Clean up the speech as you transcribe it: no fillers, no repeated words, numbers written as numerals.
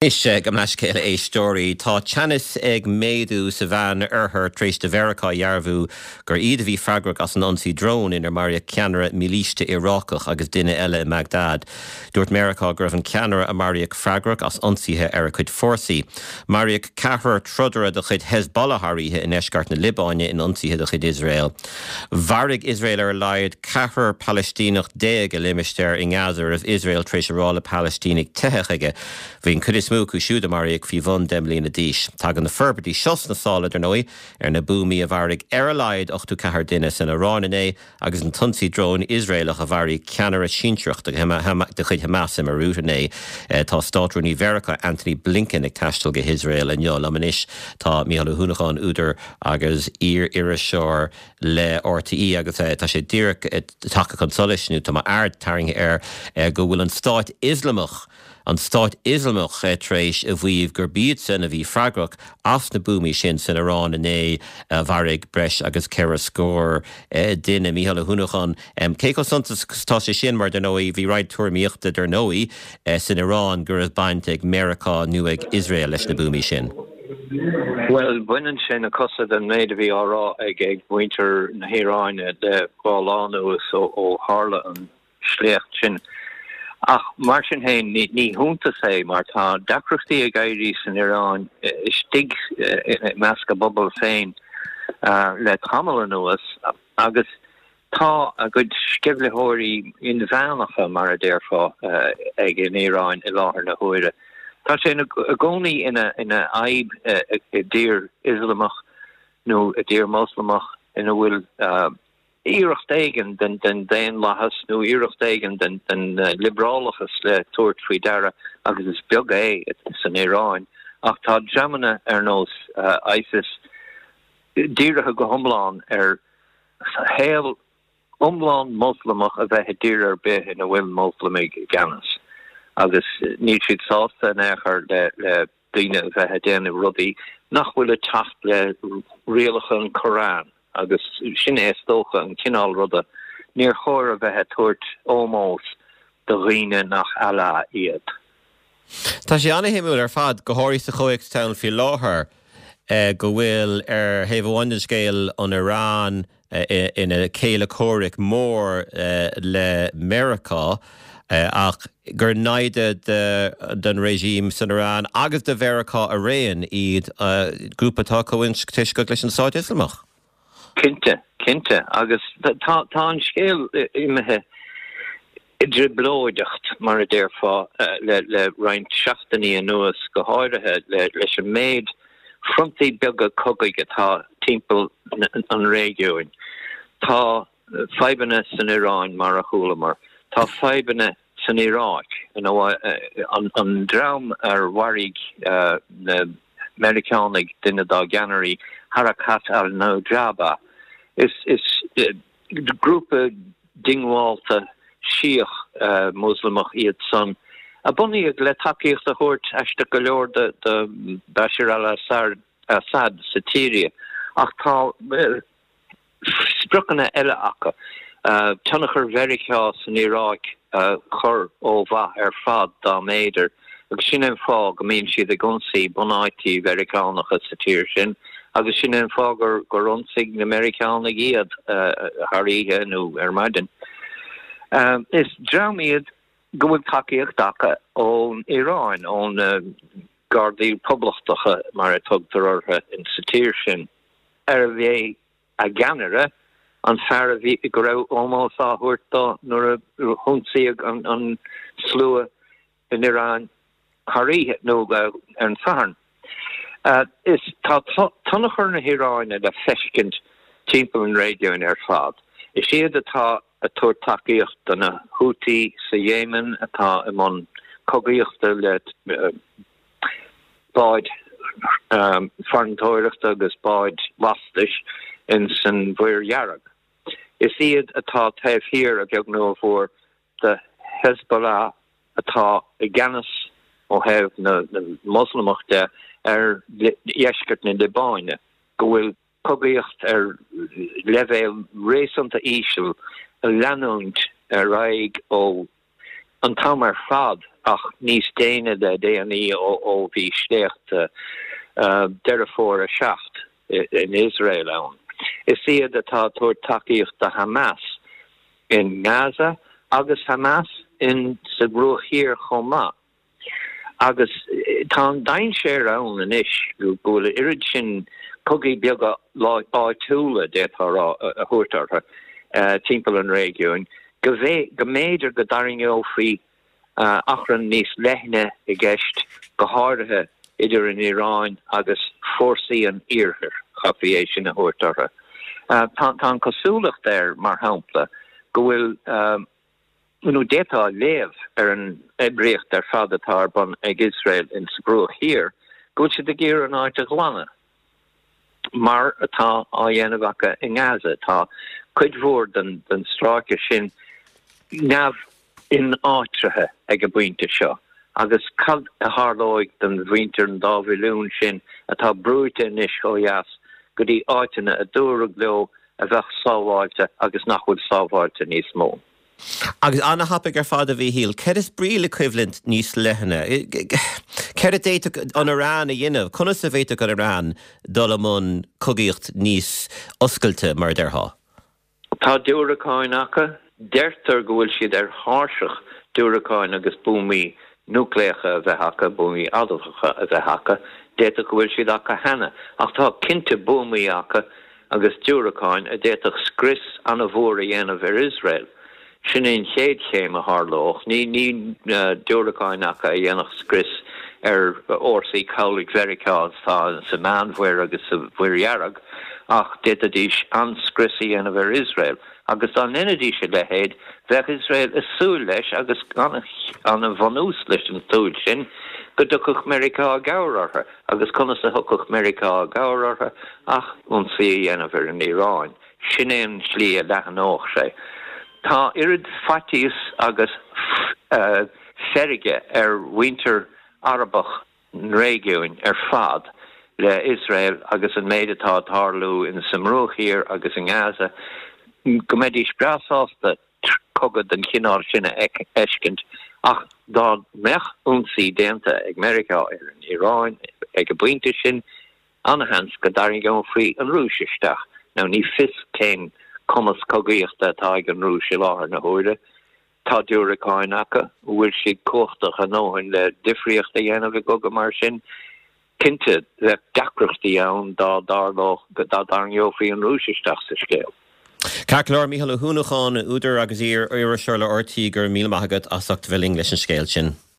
Anois, gabh mo leithscéal a éisteoirí, tá teannas ag méadú sa Mheán Oirthear tar éis do Mheiriceá a dhearbhú gur iad a bhí freagrach as an ionsaí drón inar maraíodh ceannaire mílíste Iarácach agus duine eile i mBagdad. Dúirt Meiriceá go raibh an ceannaire a maraíodh freagrach as ionsaithe ar a cuid fórsaí. Maraíodh ceathrar trodaire de chuid Hezbollah thar oíche i ndeisceart na Liobáine in ionsaithe de chuid Iosrael. Mharaigh Iosrael ar a laghad ceathrar Palaistíneach i limistéar i nGaza a raibh Iosrael tar éis a rá le Palaistínigh teitheadh chuige. Bhí an chuid is mó acu siúd a maraíodh faoi bhun 10 mbliana d'aois. Tagann na forbairtí seo sna sála, dar ndóigh, ar na buamaí a mharaigh ar a laghad 84 duine san Iaráin inné agus an t-ionsaí dróin Iosraelach a mharaigh ceannaire sinsearach de chuid Hamas i mBeirút inné. Tá Státrúnaí Mheiriceá Antony Blinken ag taisteal go hIosrael inniu. Liom anois tá Mícheál Ó hUanacháin, údar agus iar-iriseoir le RTÉ agus tá sé díreach tagtha chun solais, nó tá m'aird tarraingthe air, go bhfuil an Stát Ioslamach, an Stát Ioslamach tar éis a mhaíomh gurb iadsan a bhí freagrach as na buamaí sin san Iaráin inné a mharaigh breis agus ceithre scór duine. Mícheál Ó hUanacháin, cé chomh suntasach is atá sé sin mar, dar ndóigh, bhí roinnt tuairimíochta, dar ndóigh, san Iaráin go raibh baint ag Meiriceá nó ag Iosrael leis na buamaí sin. Bhuel, baineann sé na cosa den méid a bhí á rá ag muintir na hIaráine le dhá lá anuas ó tharla an sléacht sin. Ach mar sin féin, ní hiontas é mar tá deacrachtaí ag éirí san Iaráin istigh i measc a bpobal féin le tamall anuas agus tá a gcuid sceimhlitheoirí inmheánacha, mar a déarfá, ag an Iaráin i láthair na huaire. Tá sé i gcónaí ina fhadhb i dtír Ioslamach nó i dtír Mhoslamach ina bhfuil iarracht éigin den daonlathas nó iarracht éigin den liobrálachas le tabhairt faoi deara, agus is beag é san Iaráin, ach tá dreamanna ar nós ISIS dírithe go hiomlán ar shaol iomlán Moslamach a bheith i dtír ar bith ina bhfuil Moslamaigh i gceannas, agus níl siad sásta in aon chor le daoine a bheith ag déanamh rudaí nach bhfuil ag teacht le rialacha an Koran agus sin é is dócha an cineál ruda, níor chóir a bheith ag tabhairt ómós do dhaoine nach Allah iad. Tá sé an-shuimiúil ar fad, go háirithe sa chomhthéacs atá ann faoi láthair, go bhfuil ar thaobh amháin den scéal an Iaráin, ina céile comhraic mór le Meiriceá ach gur naimhde don regime san Iaráin agus do Mheiriceá araon iad, grúpa atá comhintuisceach leis an Stát Ioslamach. Cinnte, cinnte. Agus tá an scéal imithe i dtrioblóideacht, mar a déarfá, le roinnt seachtainí anuas, go háirithe leis an méid frontaí beaga cogaidh atá timpeall an réigiúin. Tá fadhbanna san Iaráin, mar a chualamar. Tá fadhbanna san Iaráic, an dream ar mharaigh na Meiriceánaigh duine dá gceannairí, Harakat al-Nujaba. Is grúpa diongbhálta Síach Moslamach iad san, a bunaíodh le tacaíocht a thabhairt, aisteach go leor, do Bashar al-Assad sa tSiria, ach tá spriocanna eile acu, tionchar Mheiriceá san Iaráic a chur ó mhaith ar fad dá mb'fhéidir, agus sin é an fáth go mbíonn siad ag ionsaí bunáití Mheiriceánacha sa tír sin, agus sin é an fáth gur ionsaigh na Meiriceánaigh iad thar oíche nó ar maidin. Is dream iad go bhfuil tacaíocht acu ón Iaráin, ó na Gardaí Poblachtacha mar a tugtar orthu sa tír sin, arbh é a gceannaire, an fear a bhí, go raibh ómós á thabhairt dó nuair a hionsaíodh an slua in Iaráin thar oíche, nó ar an Satharn. Is tá tionchar na hIaráine le feiscint timpeall an réigiúin ar fad. Is iad atá ag tabhairt tacaíocht do na Houthi sa Éimin atá i mbun cogaíochta le báid farantóireachta agus báid lastais ins an Mhuir Dhearg. Is iad atá taobh thiar, a bheag nó a mhór, de Hezbollah atá i gceannas ó thaobh na Moslamach de ar dheisceart na Liobáine, go bhfuil cogaíocht ar leibhéal réasúnta íseal ag leanúint ar aghaidh ó. An t-am ar fad ach níos déine le déanaí ó bhí sléacht Deireadh Fómhair 7 in Iosrael ann. Is iad atá ag tabhairt tacaíocht do Hamas in nGaza agus Hamas in sa Bhruach Thiar chomh maith. Agus tá an dainséar ann anois go bhfuil a oiread sin cogaí beaga áitiúla, d'fhéadfá a rá, a thabhairt orthu, timpeall an réigiúin, go mb'fhéidir go dtarraingeofaí achrann níos leithne i gceist, go háirithe idir an Iaráin agus fórsaí an Iarthair, chaithfí é sin a thabhairt orthu. Tá an chosúlacht air, mar shampla, go bhfuil. nó d'fhéadfá a léamh ar an oibríocht ar fad atá ar bun ag Iosrael in sa Bhruach Thiar go bhfuil siad ag iarraidh an áit a ghlanadh, mar atá á dhéanamh acu i nGaza. Tá cuid mhór den stráice sin neamh-ináitrithe ag an bpointe seo, agus cad a tharlóidh don mhuintir, an dá mhilliún sin atá brúite anois ó dheas go dtí áiteanna a dúradh leo a bheadh sábháilte agus nach bhfuil sábháilte níos mó. Agus ana-thapaidh ar fad, a Mhíchíl. Céard is brí le coimhlint níos leithne? Céard a d'fhéadfadh an Iaráin a dhéanamh? Conas a bhféadfadh an Iaráin dul i mbun cogaíocht níos oscailte, mar a déarfá? Tá diúracáin acu. Deirtear go bhfuil siad ar thairseach diúracáin agus buamaí núicléacha a bheith acu, buamaí adamhacha a bheith acu. D'fhéadfadh go bhfuil siad acu cheana. Ach tá cinnte buamaí acu agus diúracáin a d'fhéadfadh scrios an-mhór a dhéanamh ar Iosrael. Sin é an chéad chéim a tharlódh. Ní ní diúracáin acu a dhéanfadh scrios ar fhórsaí cabhlaigh Mheiriceá atá sa Meánmhuir agus sa Mhuir Dhearg, ach d'fhéadfaidís an-scrios a dhéanamh ar Iosrael. Agus dá ndéanfaidís a leithéid, bheadh Iosrael ag súil leis, agus an-bhunús leis an tsúil sin, go dtiocfadh Meiriceá i gcabhair orthu. Agus conas a thiocfadh Meiriceá i gcabhair orthu ach ionsaí a dhéanamh ar an Iaráin? Sin é an tslí a leathnódh sé. Tá oiread faitíos agus feirge ar mhuintir Arabach an réigiúin ar fad le Iosrael agus an méid atá ag tarlú in sa mBruach Thiar agus i nGaza go mbeidís breá sásta cogadh den chineál sin a fheiscint ach dá mbeadh ionsaí déanta ag Meiriceá ar an Iaráin ag an bpointe sin, an-sheans go dtarraingeofaí an Rúis isteach. Now ní fios cén cumas cogaíochta atá ag an Rúis i láthair na huaire. Tá diúracáin acu. An bhfuil siad cumhachtach a ndóthain le difríocht a dhéanamh i gcogadh mar sin? Cinnte, bheadh deacrachtaí ann dá dtarlódh, dá dtarraingeofaí an Rúis isteach sa scéal. Ceart go leor, Mícheál Ó hUanacháin, údar agus iar-iriseoir le RTÉ, go raibh míle maith agat as ucht a bheith linn leis an scéal sin.